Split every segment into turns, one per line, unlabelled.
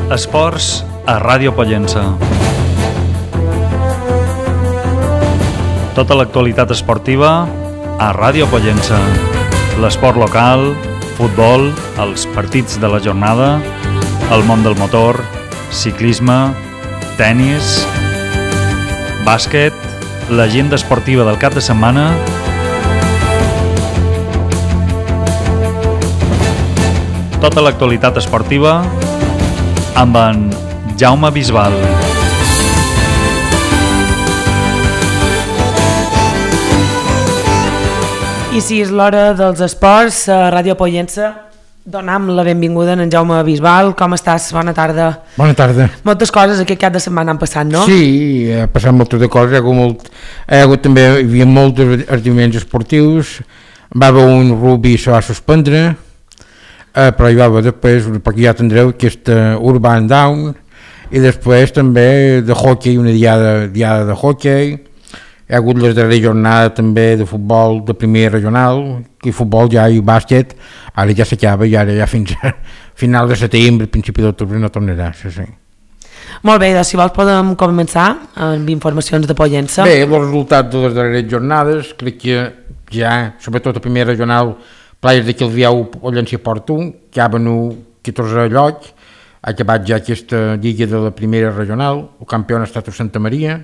Esports a Ràdio Pollença. Tota l'actualitat esportiva a Ràdio Pollença. L'esport local, futbol, els partits de la jornada, el món del motor, ciclisme, tennis, bàsquet, l'agenda esportiva del cap de setmana, tota l'actualitat esportiva amb en Jaume Bisbal.
I si és l'hora dels esports, a Ràdio Pollença donam la benvinguda a en Jaume Bisbal. Com estàs? Bona tarda.
Bona tarda.
Moltes coses aquest cap de setmana han passat, no?
Sí, ha passat moltes de coses. Hi ha hagut també, hi havia molts esdeveniments esportius. Va haver un rugby, se va suspendre, però hi va haver després, perquè ja tindreu aquesta Urban Down, i després també de hockey, una diada de hockey. Hi ha hagut les darreres jornades també de futbol de primer regional, i futbol ja i bàsquet, ara ja s'acaba i ara ja fins a final de setembre, principi d'octubre no tornarà, sí.
Molt bé, doncs si vols podem començar amb informacions de Pollença.
Bé, els resultats de les darreres jornades, crec que ja, sobretot el primer regional, Players de Quilviau, Pollença i Porto, que ha venut 14 llocs, ha acabat ja aquesta lliga de la primera regional, el campió ha estat a Santa Maria.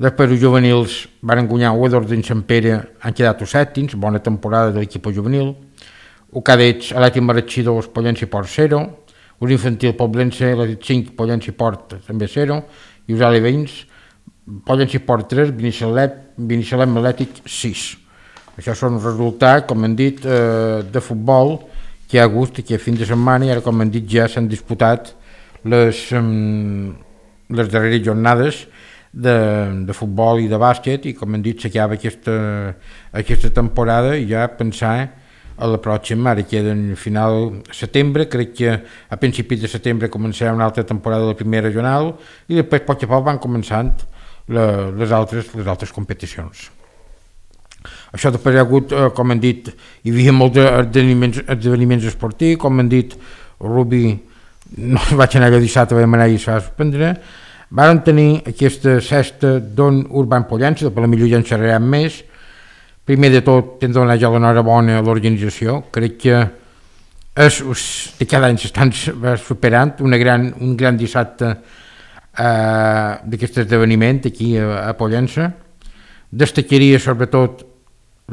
Després els juvenils van guanyar Uedors d'en Sant Pere, han quedat els sèptims, bona temporada de l'equip juvenil. Els cadets, Elèctric Marratxí 2, Pollença i Port 0. Els infantil Poblença, Elèctric 5, Pollença i Port també 0. I els aleveïns, Pollença i Port 3, Binissalem Elèctric 6. Això són els resultats, com hem dit, de futbol que hi ha hagut aquest fin de setmana, i ara, com hem dit, ja s'han disputat les darreres jornades de futbol i de bàsquet, i com hem dit s'acaba aquesta temporada, i ja pensar a la pròxima. Ara queda en final setembre, crec que a principis de setembre començarà una altra temporada de la primera regional, i després a poc a poc van començant les altres competicions. Això després hi ha hagut, com hem dit, hi havia molts esdeveniments esportius, com hem dit, el rugby no vaig anar allò dissabte, vam anar i es va suspendre. Varen tenir aquesta sexta Don Urban Pollença, per la millor ja en xerrarem més. Primer de tot, hem de donar ja l'enhorabona a l'organització. Crec que de cada any s'estan superant un gran dissabte d'aquest esdeveniment aquí a Pollença. Destacaria sobretot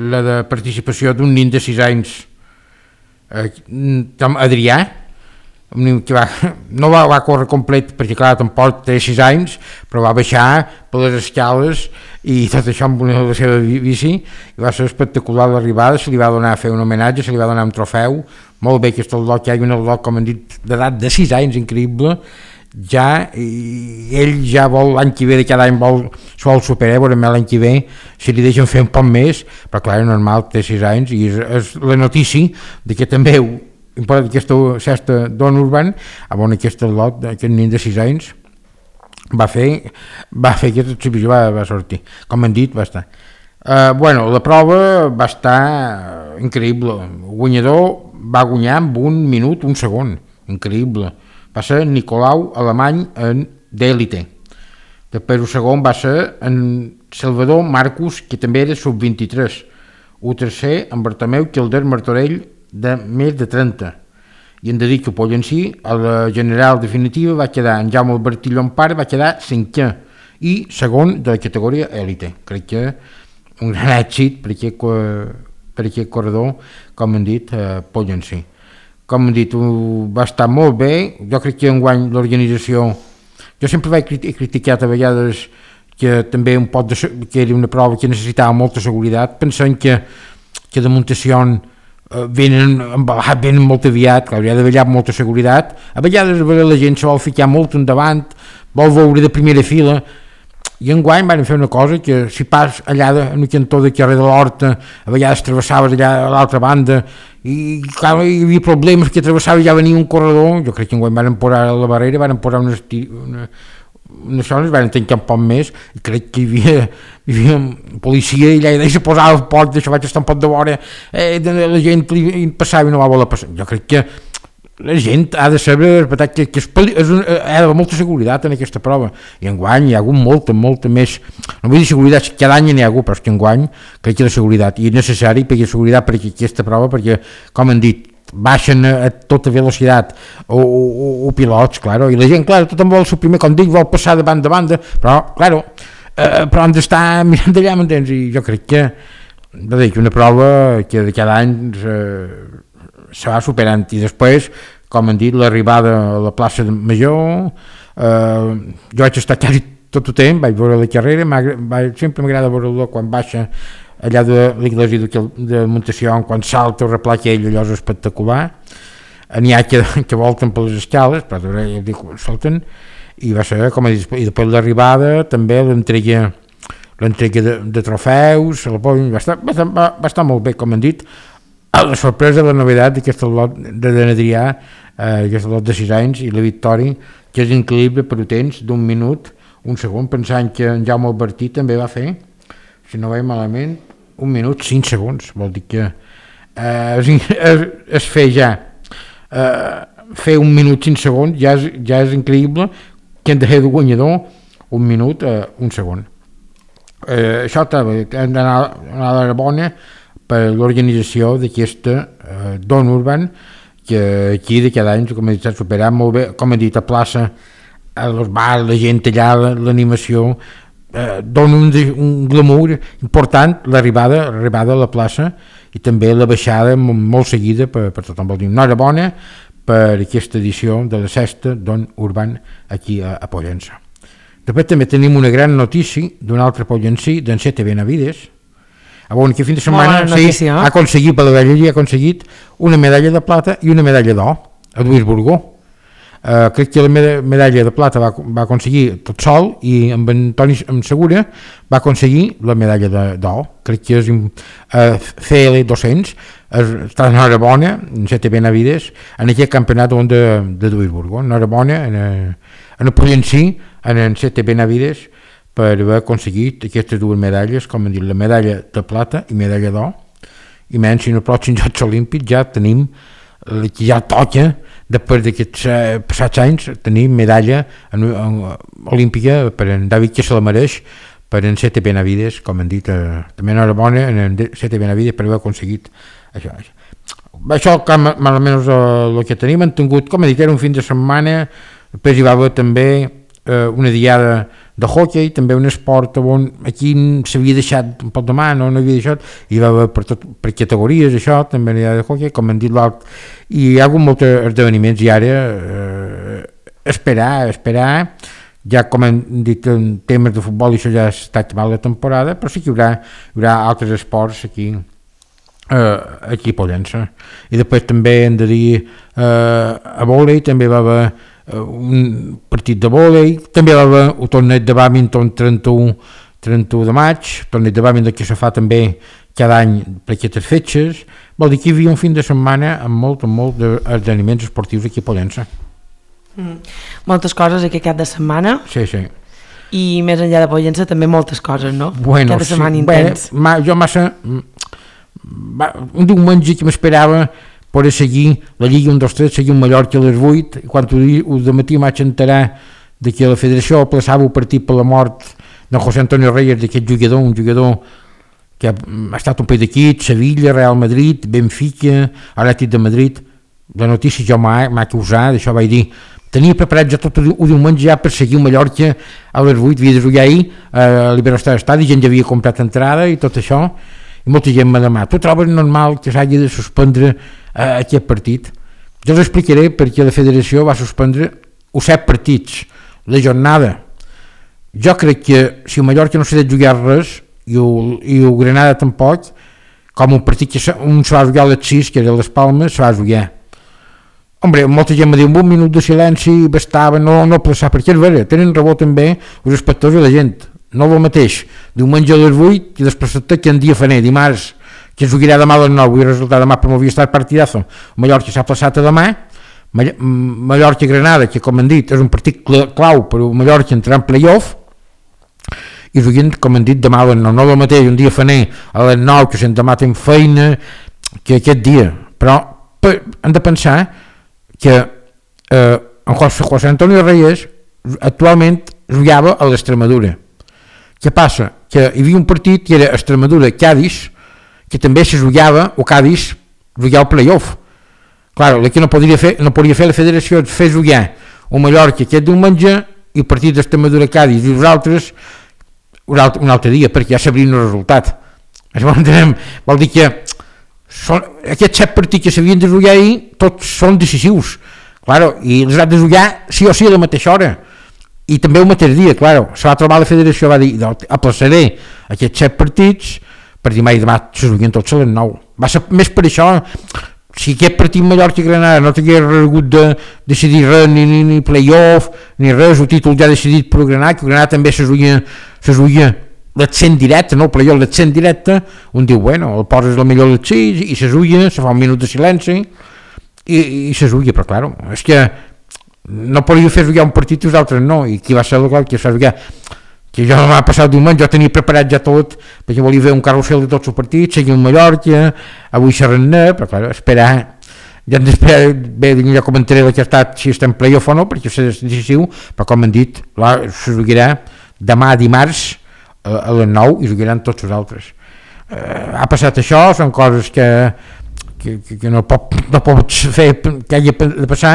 la de participació d'un nen de 6 anys, Adrià, que no va córrer complet perquè clar, tampoc té 6 anys, però va baixar per les escales i tot això amb la seva bici, i va ser espectacular l'arribada. Se li va donar a fer un homenatge, se li va donar un trofeu, molt bé, que és el lot, que hi ha un lot, com hem dit, d'edat de 6 anys, increïble, ja, i ell ja vol l'any que ve, de cada any s'ho vol superar, veurem l'any que ve si li deixen fer un poc més, però clar, és normal, té 6 anys, i és la notícia de que també aquesta sexta Don Urban, on aquest lot, aquest nen de 6 anys, va fer aquesta exhibició, va sortir. Com hem dit, va estar. La prova va estar increïble. El guanyador va guanyar amb 1 minut, 1 segon. Increïble. Va ser Nicolau Alemany d'Elite. Després el segon va ser en Salvador Marcus, que també era sub-23. El tercer, en Bartomeu Quilder Martorell, de més de 30, i hem de dir que Pollencí a la general definitiva va quedar en Jaume Albertí Llompart, va quedar 5è i segon de la categoria élite. Crec que un gran èxit per aquest corredor, com hem dit, Pollencí. Com hem dit, va estar molt bé. Jo crec que enguany l'organització, jo sempre vaig criticat a vegades que també que era una prova que necessitava molta seguretat, pensant que de Montessió venen molt aviat, que hauria d'haver molta seguretat. A vegades la gent se vol ficar molt endavant, vol veure de primera fila, i enguany van fer una cosa que si pas allà en el cantó de carrer de l'Horta, a vegades travessaves allà a l'altra banda, i clar, hi havia problemes que travessaves, ja venia un corredor. Jo crec que enguany van posar a la barrera, van posar unes zones, van tancar un poc més, i crec que hi havia policia, i allà se posava el poc, d'això vaig estar un poc de vora, la gent passava i no va voler passar. Jo crec que la gent ha de saber que hi ha d'haver molta seguretat en aquesta prova, i enguany hi ha hagut molta més, no vull dir seguretat, cada any n'hi ha hagut, però és que enguany crec que la seguretat, i és necessari perquè seguretat per aquesta prova, perquè, com han dit, baixen a tota velocitat o pilots, claro, i la gent, claro, tothom vol ser primer, com dic, vol passar de banda a banda, però, claro, però han d'estar mirant d'allà, m'entens? I jo crec que una prova que de cada any se va superant, i després, com han dit, l'arribada a la plaça Major, jo vaig estar quasi tot el temps, vaig veure la carrera, sempre m'agrada veure-lo quan baixa allà de l'església de Montació, quan salta o replà aquell, allò és espectacular. N'hi ha que volten per les escales, però ja dic, salten, i va ser, com he dit, i després l'arribada, també l'entrega de trofeus, va estar molt bé, com han dit. La sorpresa, la novetat d'aquest lot de Adrià, aquest lot de 6 anys, i la victòria, que és increïble per temps d'un minut, un segon, pensant que en Jaume Albertí també va fer, si no veig malament, 1 minut 5 segons, vol dir que es fer ja fer 1 minut 5 segons ja és increïble, que hem de fer de guanyador 1 minut 1 segon. Això hem d'anar a la bona per l'organització d'aquesta Don Urban, que aquí de cada any, com he dit, s'ha superat molt bé, com he dit, a plaça, als bars, la gent allà, l'animació, dona un glamour important, l'arribada a la plaça, i també la baixada molt seguida per tothom. Vol dir, enhorabona per aquesta edició de la 6ª Don Urban aquí a Pollença. Després també tenim una gran notícia d'un altre pollencí, d'en Sete Benavides, que fin de setmana ha aconseguit, per la vella, ha aconseguit una medalla de plata i una medalla d'or a Duisburgo. Crec que la medalla de plata va aconseguir tot sol, i amb en Toni Segura va aconseguir la medalla d'or. Crec que és CL 200, està enhorabona en Sete Benavides en aquest campionat de Duisburgo. Enhorabona en el pollencí, en Sete Benavides, per haver aconseguit aquestes 2 medalles, com hem dit, la medalla de plata i medalla d'or, i menys si en els pròxims Jocs Olímpics ja tenim, ja toca, després d'aquests passats anys, tenir medalla olímpica per en David, que se la mereix, per en Sete Benavides, com hem dit, també enhorabona en Sete Benavides per haver aconseguit això. Això malament el que tenim, han tingut, com he dit, era un fin de setmana, després hi va haver també una diada de hockey, també un esport on aquí s'havia deixat un poc de mà, no havia deixat, i va haver per categories això, també una diada de hockey, com han dit l'alt, i hi ha hagut molts esdeveniments, i ara esperar, ja com han dit en temes de futbol, això ja està acabant la temporada, però sí que hi haurà altres esports aquí a Pollença. I després també hem de dir a vòlei, també va haver un partit de vòlei, també va haver un torneig de bàdminton 31 de maig, torneig de bàdminton que se fa també cada any per aquestes fetges. Vol dir que hi havia un fin de setmana amb molt d'esdeveniments esportius aquí a Pollença.
Moltes coses aquest cap de setmana.
Sí.
I més enllà de Pollença també moltes coses, no?
Bueno,
cada setmana intens.
Jo massa un diumenge que m'esperava poder seguir la Lliga 1-2-3, seguir un Mallorca a les 8, i quan de matí m'haig enterar que la federació aplaçava el partit per la mort de José Antonio Reyes, d'aquest jugador, un jugador que ha estat un país d'aquí, Sevilla, Real Madrid, Benfica, Atlètic de Madrid. La notícia jo m'ha causat, això vaig dir, tenia preparat ja tot el diumenge ja per seguir un Mallorca a les 8, havia de jugar ahir a l'Iberostar Estadi, gent ja havia comprat entrada i tot això, i molta gent m'ha demanat, tu trobes normal que s'hagi de suspendre aquest partit? Jo us explicaré perquè la federació va suspendre 7 partits, la jornada. Jo crec que si el Mallorca no s'ha de jugar res i el Granada tampoc, com un partit que un se va jugar a les 6, que era a les Palmes, se va jugar. Hombre, molta gent m'ha dit, un minut de silenci bastava, no plaçar, perquè és vera, tenen raó també els espectadors i la gent. No el mateix, diumenge a les 8 i després que en dia faner, dimarts, que es jugarà demà a les 9 i el resultat demà per m'havia estat partidazo. Mallorca s'ha plaçat a demà, Mallorca-Granada, que com han dit és un partit clau per Mallorca entrar en playoff, i juguin, com han dit, demà a les 9, no el mateix, un dia faner a les 9, que si demà tenim feina, que aquest dia, però hem de pensar que en José Antonio Reyes actualment jugava a l'Extremadura. Què passa? Que hi havia un partit que era Extremadura-Cádiz, que també se jugava, o Cádiz jugava el playoff. Clar, el que no podia fer la federació és fer jugar o Mallorca aquest diumenge i el partit d'Extremadura-Cádiz i nosaltres un altre dia, perquè ja sabrien el resultat. Això vol dir que aquests 7 partits que s'havien de jugar ahir tots són decisius, claro, i els han de jugar sí o sí a la mateixa hora i també el mateix dia. Claro, se va trobar la federació, va dir aplaçaré aquests 7 partits per demà i demà se juguen tots a les 9. Va ser més per això, si aquest partit Mallorca-Granada no t'hagués hagut de decidir res, ni playoff ni res, el títol ja decidit per Granada, que Granada també se jugia l'accent directe, no el playoff, l'accent directe, un diu, bueno, el poses la millor les 6 i se juia, se fa un minut de silenci i se juia, però claro, és que no podia fer jugar un partit i els altres no, i qui va ser el que es va jugar, que jo m'ha passat diumenge, jo tenia preparat ja tot, perquè volia fer un carrusel de tots els partits, seguir el Mallorca, avui xerrar-ne, però claro, esperar, ja hem d'esperar, bé, ja comentaré el que ha estat, si està en playoff o no, perquè és decisiu, però com hem dit, se jugarà demà dimarts, a les 9 i jugaran tots els altres. Ha passat això, són coses que no pots fer que hagi de passar,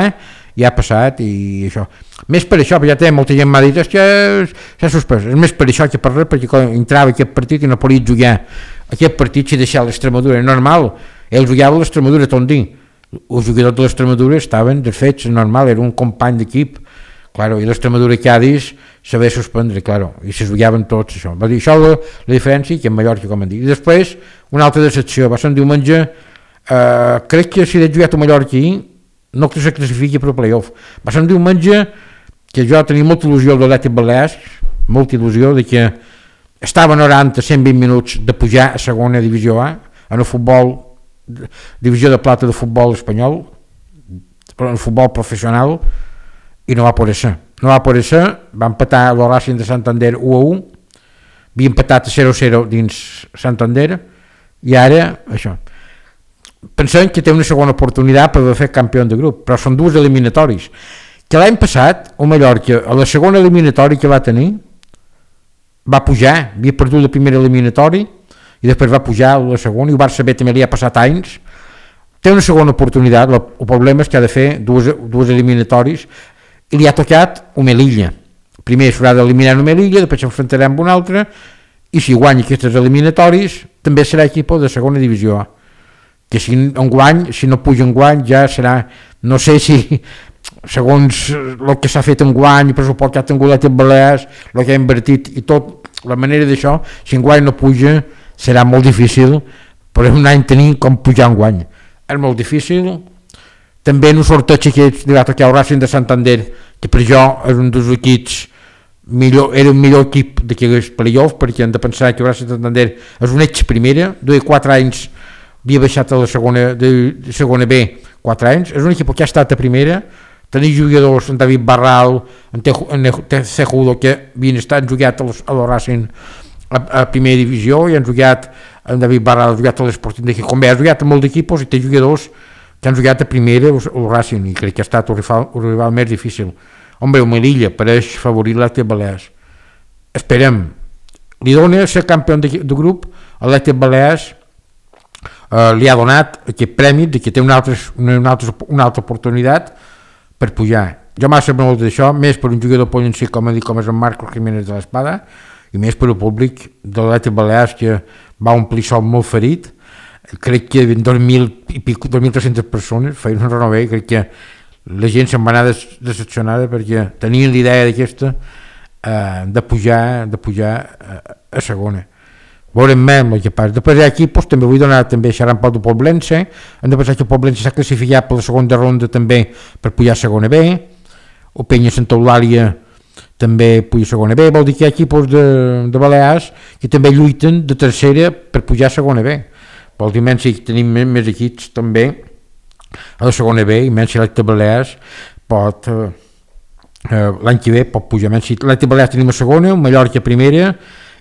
i ha passat i això. Més per això, perquè ja té molta gent m'ha dit que s'ha suspès, és més per això que per res, perquè quan entrava aquest partit i no podia jugar aquest partit si deixava l'Extremadura, normal, ell jugava l'Extremadura Tondí, els jugadors de l'Extremadura estaven desfets, normal, era un company d'equip, claro, i l'Extremadura Cádiz s'havia de suspendre, claro, i se jugaven tots això. Va dir això la diferència que en Mallorca, com han dit. I després, una altra decepció, va ser un diumenge, crec que si he jugat a Mallorca no que se classifiqui per playoff. Va ser un diumenge que jo tenia molta il·lusió de l'Atlètic Balears, molta il·lusió de que estava 90-120 minuts de pujar a segona divisió A, en el futbol, divisió de plata de futbol espanyol, en el futbol professional, i no va poder ser. No va poder ser, va empatar el Racing de Santander 1-1, havia empatat a 0-0 dins Santander, i ara, això. Pensem que té una segona oportunitat per fer campió de grup, però són dues eliminatoris. Que l'any passat, el Mallorca, a la segona eliminatòria que va tenir, va pujar, havia perdut la primera eliminatori, i després va pujar a la segona, i el Barça B també li ha passat anys. Té una segona oportunitat, el problema és que ha de fer dues eliminatoris, i li ha tocat un Melilla. Primer s'haurà d'eliminar un Melilla, després s'enfrontarà amb un altre, i si guanya aquestes eliminatoris, també serà equip de segona divisió A. Que si no puja en guany ja serà, no sé si segons el que s'ha fet en guany, el pressupost que ha tingut l'Atlètic Balears, el que ha invertit i tot, la manera d'això, si en guany no puja serà molt difícil, però un any tenir com pujar en guany. És molt difícil. També en un sorteig que li va tocar el Racing de Santander, que per jo és un dels equips era un millor equip d'aquells playoff, perquè hem de pensar que el Racing de Santander és un ex primera, duia 4 anys havia baixat a la segona B 4 anys, és un equip que ha estat a primera, tenia jugadors en David Barral, en Cejudo, que havien estat jugat a la Racing a primera divisió, i han jugat en David Barral, ha jugat a l'Esporting de Gijón, ha jugat a molts equipos i té jugadors que han jugat a primera el Racing, i crec que ha estat el rival més difícil. Home, el Melilla pareix favorit l'Atlètic Balears. Esperem, li dona ser campió de grup a l'Atlètic Balears, li ha donat aquest premi de que té una altra oportunitat per pujar. Jo m'ha sabut molt d'això, més per un jugador pollencí com és en Marcos Jiménez de l'Espada, i més per el públic de l'Atlètic Balears, que va omplir sol molt ferit. Crec que 2.300 persones feien un renover, i crec que la gent se'n va anar decepcionada perquè tenien l'idea d'aquesta de pujar a segona. Veurem més el que passa. Després d'aquí també vull donar també xerrant pel de Poblense. Hem de pensar que Poblense s'ha classificat per la segona ronda també per pujar a segona B. O Penya Santa Eulàlia també puja a segona B. Vol dir que hi ha equipos de Balears que també lluiten de tercera per pujar a segona B. Vol dir menys si tenim més equips també a la segona B, i menys si l'Atlètic Balears pot l'any que ve pot pujar. Menys si l'Atlètic Balears tenim a segona, el Mallorca a primera,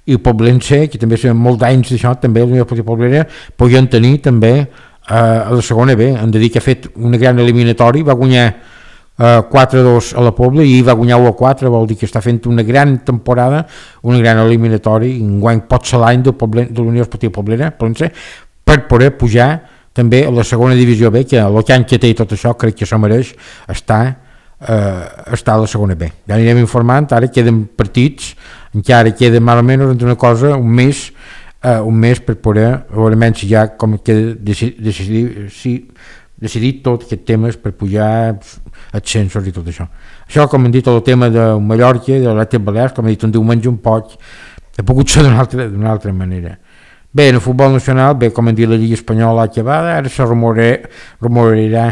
i el Poblense, que també són molts anys d'això, també el Poblense podien tenir també a la segona B. Hem de dir que ha fet una gran eliminatori, va guanyar 4-2 a la Pobla i va guanyar 1-4, vol dir que està fent una gran temporada, una gran eliminatori, enguany pot ser l'any de l'Unió Esportiva Poblera per poder pujar també a la segona divisió B, que el can que té i tot això crec que s'ho mereix estar a la segona B. Ja anirem informant, ara queden partits, encara queda més o menys una cosa, un mes per poder veure si ja com queda decidit tot aquests temes per pujar ascensos i tot això. Això, com hem dit, el tema de Mallorca, de l'Atlètic Balears, com he dit, un diumenge un poc, ha pogut ser d'una altra manera. Bé, en el futbol nacional, bé, com hem dit, la Lliga Espanyola acabada, ara se rumorarà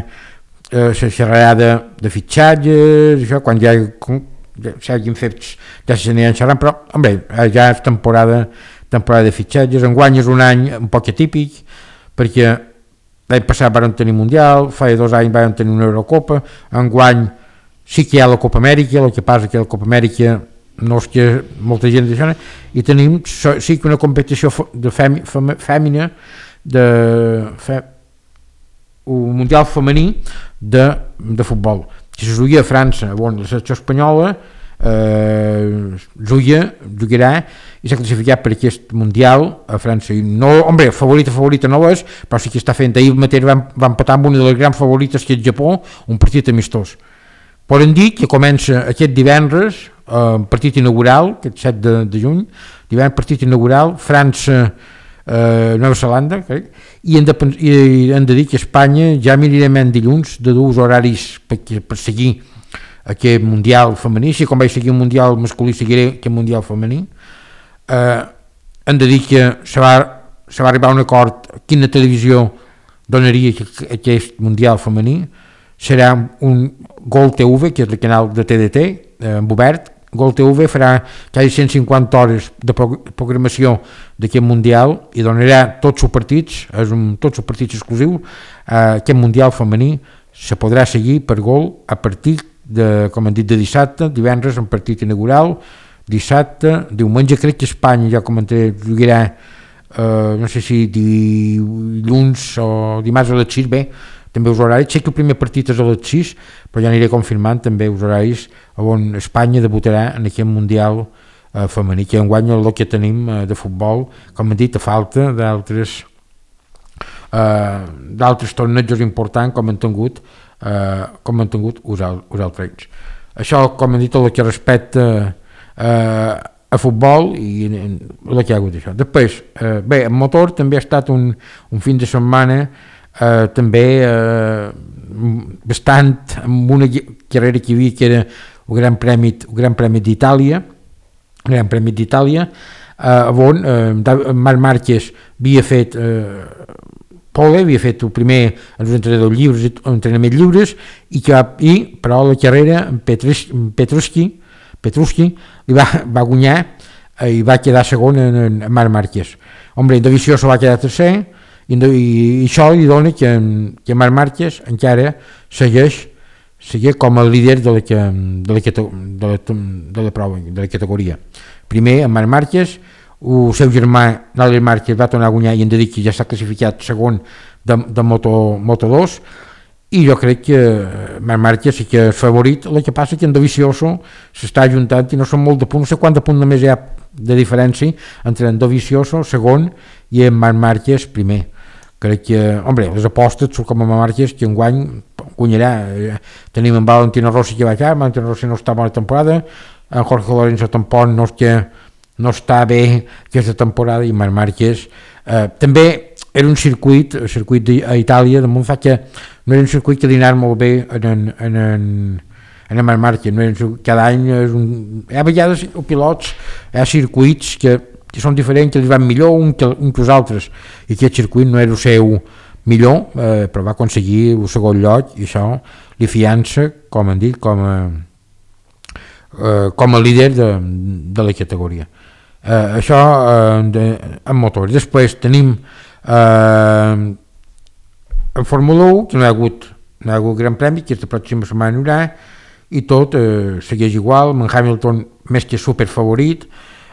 la xerrada de fitxatges, això, quan ja s'hagin fet, ja s'aniran xerrant, però, home, ja és temporada de fitxatges. Enguany és un any un poc atípic, perquè l'any passat vam tenir Mundial, fa 2 anys vam tenir una Eurocopa, enguany sí que hi ha la Copa Amèrica, el que passa que la Copa Amèrica no és que molta gent d'això, i tenim sí que una competició fèmina, un Mundial femení de futbol, que se jugaria a França, on la selecció espanyola jugarà i s'ha classificat per aquest Mundial a França. No, home, favorita no és, però sí que està fent. Ahir mateix va empatar amb una de les grans favorites, que és Japó, un partit amistós. Podem dir que comença aquest divendres, partit inaugural, aquest 7 de juny, divendres partit inaugural, França, Nova Zelanda, crec, i hem de dir que Espanya ja mirarem en dilluns de 2 horaris per seguir aquest Mundial femení, si com vaig seguir un Mundial masculí seguiré aquest Mundial femení. Hem de dir que se va arribar a un acord quina televisió donaria aquest Mundial femení. Serà un Gol TV, que és el canal de TDT, obert. Gol TV farà quasi 150 hores de programació d'aquest Mundial i donarà tots els partits, tots els partits exclusius. Aquest Mundial femení se podrà seguir per Gol a partir com hem dit, de dissabte, divendres un partit inaugural, dissabte, diumenge crec que Espanya ja comentaré, jugarà no sé si dilluns o dimarts a les 6, bé, també els horaris, sé que el primer partit és a les 6, però ja aniré confirmant també els horaris on Espanya debutarà en aquest Mundial femení, que enguany el que tenim de futbol, com hem dit, a falta d'altres tornejos importants com han tingut uns altres. Això, com hem dit, el que respecta a futbol i el que ha hagut això. Després, bé, el motor també ha estat un fin de setmana també bastant amb una carrera que hi havia, que era el Gran Premi d'Itàlia, on Marc Márquez havia fet havia fet el primer els entrenaments lliures però la carrera Petrucci li va guanyar i va quedar segon en Marc Márquez. Home, Dovizioso va quedar tercer i això li dona que Marc Márquez encara segueix com a líder de la prova, de la categoria. Primer, en Marc Márquez, el seu germà Alex Márquez va tornar a guanyar i hem de dir que ja s'ha classificat segon de Moto2, i jo crec que Marc Márquez sí que és favorit. El que passa que en Dovizioso s'està ajuntant i no són molt de punts, no sé quant de punts només hi ha de diferència entre en Dovizioso segon i en Marc Márquez primer. Crec que, home, les apostes són com a Marc Márquez, que enguany guanyarà. Tenim en Valentino Rossi que va allà, Valentino Rossi no està bona temporada, en Jorge Lorenzo tampoc no està bé aquesta temporada, i Marc Márquez també era un circuit a Itàlia de Monza, que no era un circuit que li anava molt bé en Marc Márquez, no era cada any hi ha vegades pilots, hi ha circuits que són diferents, que li van millor un que els altres, i aquest circuit no era el seu millor, però va aconseguir el segon lloc, i això li fiança, com hem dit, com a líder de la categoria. Això en motor. Després tenim en Fórmula 1, que no hi ha hagut Gran Premi, que la pròxima setmana hi haurà, i tot segueix igual, amb Hamilton més que superfavorit,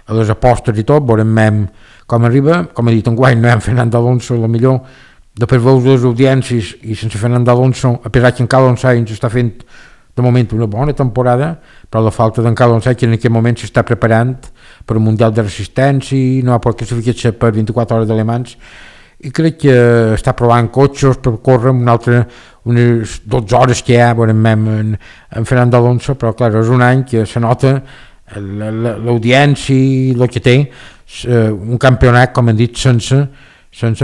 a les apostes i tot, veurem com arriba. Com he dit, enguany no hi ha Fernando Alonso, la millor després veus les audiències i sense Fernando Alonso, a pesar que en Carlos Sainz està fent de moment una bona temporada, però la falta d'en Carlos Sainz, que en aquest moment s'està preparant per un Mundial de Resistència, no ha pot classificar-se per 24 hores d'alemans, i crec que està provant cotxes per córrer unes 12 hores que hi ha en Fernando Alonso, però clar, és un any que se nota l'audiència i el que té un campionat, com hem dit, sense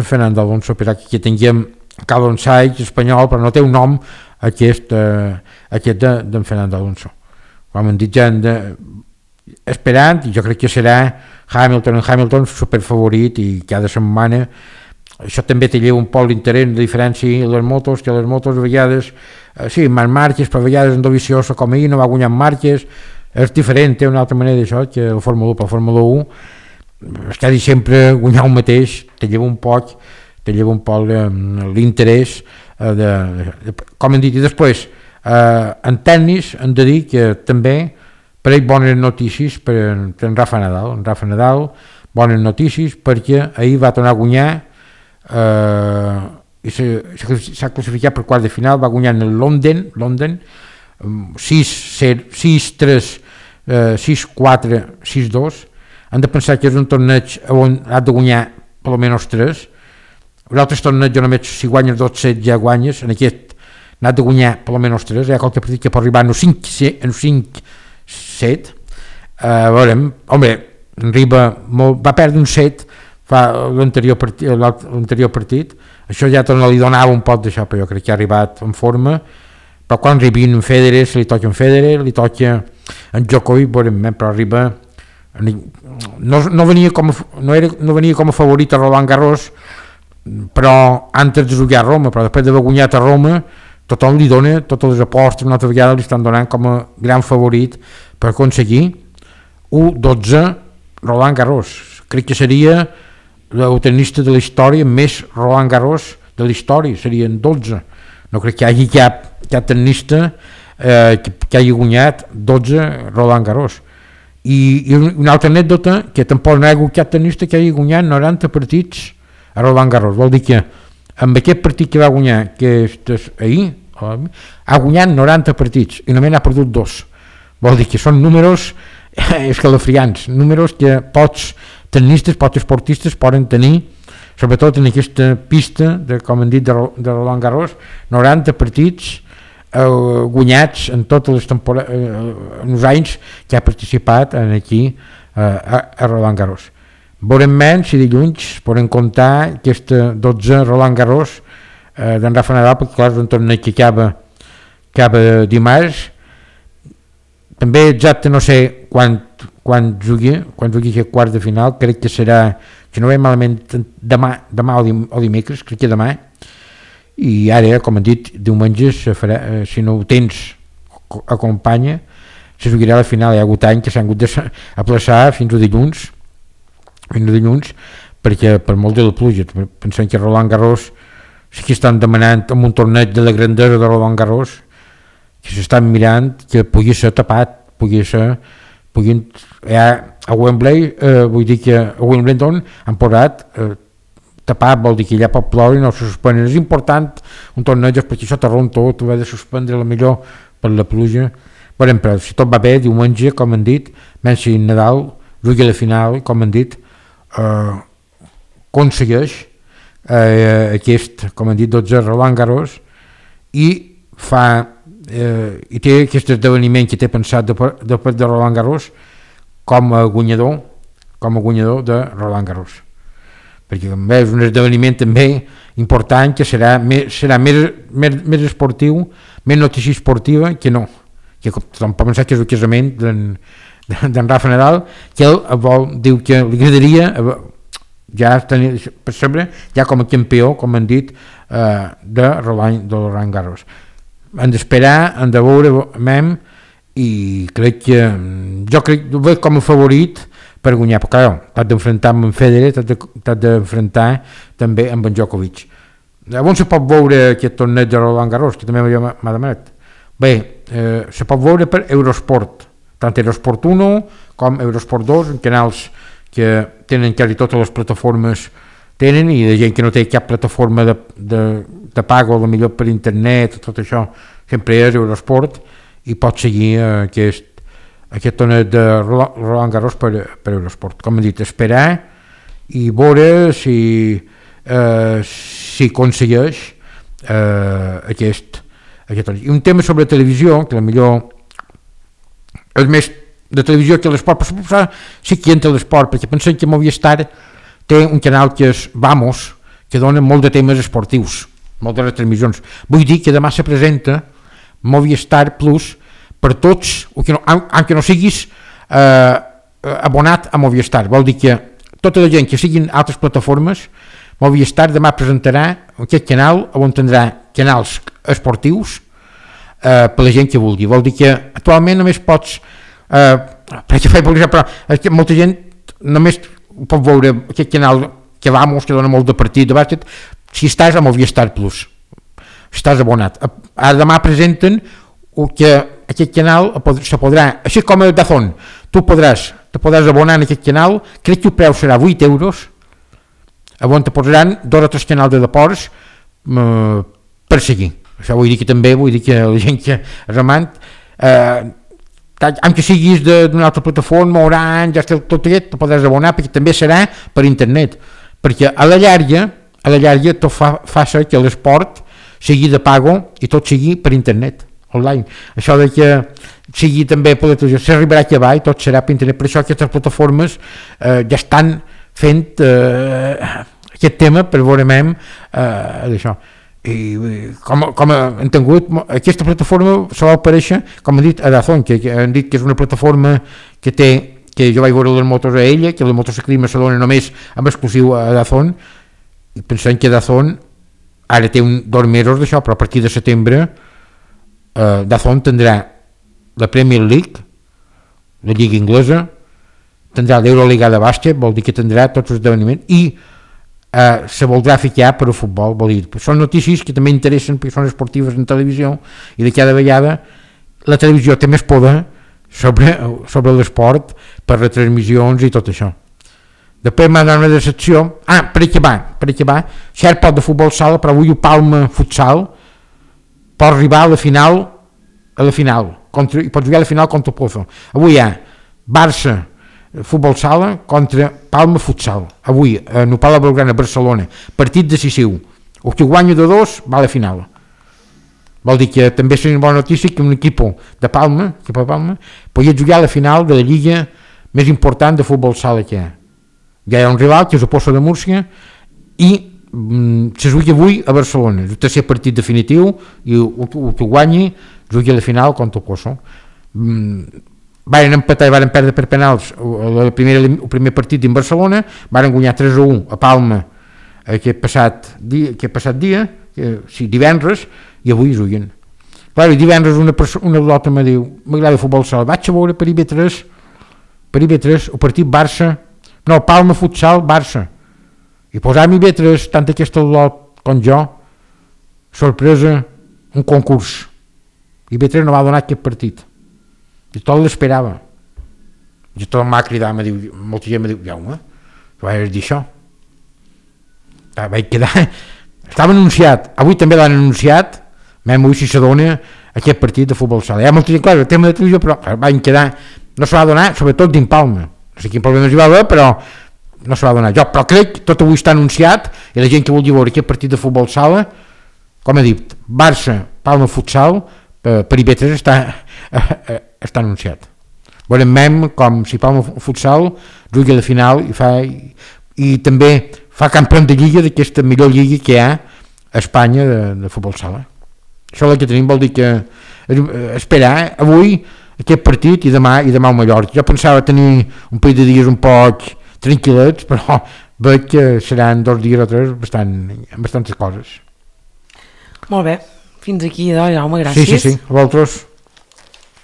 Fernando Alonso, per que tinguem Carlos Sainz espanyol, però no té un nom aquest d'en Fernando Alonso. Com hem dit, ja esperant, i jo crec que serà Hamilton superfavorit, i cada setmana això també té un poc l'interès, la diferència a les motos, que les motos a vegades sí, més marques, però a vegades en Dovizioso com ahir no va guanyar marques, és diferent, té una altra manera d'això que el Fórmula 1, per Fórmula 1 és quasi sempre guanyar un mateix, te lleva un poc l'interès com hem dit. I després en tennis hem de dir que també per ell bones notícies per en Rafa Nadal, bones notícies perquè ahir va tornar a guanyar i s'ha classificat per quart de final, va guanyar en el London 6-3, 6-4, 6-2. Han de pensar que és un torneig on ha de guanyar per almenys 3. En altres torneigs només si guanyes 2 sets ja guanyes, en aquest n'ha de guanyar per almenys 3, hi ha qualque partit que pot arribar en 5-7. Veurem, home, va perdre un set l'anterior partit, això ja li donava un pot d'això, però jo crec que ha arribat en forma, però quan arribi en Federer, se li toca en Federer, li toca en Djokovic, però arriba, no venia com a favorit a Roland Garros, però antes de jugar a Roma, però després d'haver guanyat a Roma, tothom li dona, totes les apostes una altra vegada li estan donant com a gran favorit per aconseguir 1-12 Roland Garros. Crec que seria el tenista de la història més Roland Garros de la història, serien 12. No crec que hi hagi cap tenista que hagi guanyat 12 Roland Garros. I una altra anècdota, que tampoc no hi ha hagut cap tenista que hagi guanyat 90 partits a Roland Garros. Vol dir que amb aquest partit que va guanyar, que és ahir, ha guanyat 90 partits i només n'ha perdut 2. Vol dir que són números escalofriants, números que pocs tenistes, pocs esportistes poden tenir, sobretot en aquesta pista, com hem dit, de Roland Garros, 90 partits guanyats en totes les temporades, en els anys que ha participat aquí a Roland Garros. Veurem menys si dilluns podem comptar aquesta 12 Roland Garros d'en Rafa Nadal, perquè clar, és un torneig que acaba dimarts. També exacte no sé quan jugui aquest quart de final, crec que serà, si no ve malament, demà o dimecres, crec que demà, i ara, com hem dit, diumenge si no ho tens acompanya, se jugarà la final. Hi ha hagut anys que s'han hagut d'aplaçar fins a dilluns, perquè per molt de la pluja, pensem que Roland Garros sí que estan demanant amb un torneig de la grandesa de Roland Garros, que s'estan mirant que pugui ser tapat, a Wembley, vull dir que a Wimbledon han posat tapat, vol dir que allà pot ploure i no se suspenen. És important un torneig perquè això t'arron tot, ho ha de suspendre la millor per la pluja. Però si tot va bé, diumenge, com han dit, Messi Nadal jugui a la final, com han dit, aconsegueix aquest, com han dit, 12 Roland Garros i té aquest esdeveniment que té pensat després de Roland Garros com a guanyador de Roland Garros, perquè també és un esdeveniment també important que serà més esportiu, més notícia esportiva que no, que tothom pot pensar que és el casament d'en Rafa Nadal, que ell diu que li agradaria ja tenir per sempre ja com a campió, com han dit, de Roland Garros. Han d'esperar, han de veure i crec que jo ho veig com a favorit per guanyar, perquè clar, t'has d'enfrontar amb en Federer, t'has d'enfrontar també amb en Djokovic. On se pot veure aquest torneig de Roland Garros, que també m'ha demanat? Bé, se pot veure per Eurosport, tant Eurosport 1 com Eurosport 2, en canals que tenen quasi totes les plataformes tenen, i de gent que no té cap plataforma de pago, millor per internet, tot això sempre és Eurosport, i pot seguir aquest torneig de Roland Garros per Eurosport. Com he dit, esperar i veure si aconsegueix aquest torneig. I un tema sobre televisió, que millor és més de televisió que l'esport, però sí que entra l'esport, perquè pensem que Movistar té un canal que és Vamos, que dona molt de temes esportius, moltes retransmissions. Vull dir que demà se presenta Movistar Plus per tots, aunque no siguis abonat a Movistar. Vol dir que tota la gent que siguin altres plataformes, Movistar demà presentarà aquest canal on tindrà canals esportius per la gent que vulgui. Vol dir que actualment només pots però molta gent només pot veure aquest canal que Vamos, que dona molt de partit de bàsquet, si estàs a Movistar Plus, si estàs abonat. Ara demà presenten que aquest canal se podrà, així com el DAZN, te podràs abonar en aquest canal, crec que el preu serà 8 euros, on te posaran 2 o 3 canals de deports per seguir. Això vull dir que també, la gent que és amant, amb que siguis d'una altra plataforma, Orange, tot aquest, te podràs abonar, perquè també serà per internet, perquè a la llarga tot fa ser que l'esport sigui de pago i tot sigui per internet, online. Això de que sigui també per la televisió, s'arribarà a acabar i tot serà per internet. Per això aquestes plataformes ja estan fent aquest tema per veurem d'això. I com hem tingut, aquesta plataforma se va aparèixer, com han dit, a DAZN, que han dit que és una plataforma que jo vaig veure les motos a ella, que el motociclisme se dona només amb exclusiu a DAZN, i pensem que DAZN ara té 2 mesos d'això, però a partir de setembre DAZN tindrà la Premier League, la Lliga Inglesa, tindrà l'Euroliga de bàsquet, vol dir que tindrà tots els esdeveniments, i se voldrà ficar per al futbol. Vol dir, són notícies que també interessen perquè són esportives en televisió, i de cada vegada la televisió té més poder sobre l'esport per retransmissions i tot això. Després m'ha donat una decepció, per acabar, cert pot de futbol sala, però avui el Palma Futsal pot arribar a la final, i pot jugar a la final contra el Pozo. Avui hi ha Barça futbol sala contra Palma Futsal, avui en el Palau Blaugrana a Barcelona, partit decisiu, el que guanya de 2 va a la final. Vol dir que també és una bona notícia que un equip de Palma podia jugar a la final de la lliga més important de futbol sala que hi ha. Ja hi ha un rival que és el Pozo de Múrcia i se juga avui a Barcelona, el tercer partit definitiu, i el que guanyi juga a la final contra el Pozo. Varen empatar i varen perdre per penals el primer partit en Barcelona, varen guanyar 3-1 a Palma aquest passat dia, divendres, i avui juguen. Clar, i divendres una lota me diu, m'agrada el futbol sala, vaig a veure per IB3 el partit Palma Futsal Barça, i posar-me IB3 tant aquesta lot com jo, sorpresa, un concurs. IB3 no va donar aquest partit. I tot l'esperava. I tot m'ha cridat, molta gent me diu, Jaume, vaig dir això. Vaig quedar... Estava anunciat, avui també l'han anunciat, avui si s'adona aquest partit de futbol sala. Hi ha molta gent, clar, el tema de televisió, però van quedar... No se va donar, sobretot dins Palma. No sé quin problema hi va haver, però no se va donar. Jo, però crec que tot avui està anunciat, i la gent que vulgui veure aquest partit de futbol sala, com he dit, Barça, Palma Futsal, per IB3 està anunciat. Veurem com si Palma Futsal jugui a la final i també fa campió de lliga d'aquesta millor lliga que hi ha a Espanya de futbol sala. Això és el que tenim, vol dir que esperar avui aquest partit i demà el Mallorca. Jo pensava tenir un parell de dies un poc tranquil·lets, però veig que seran 2 dies o 3 amb bastantes coses.
Molt bé. Fins aquí, Jaume, gràcies.
Sí, a vosaltres.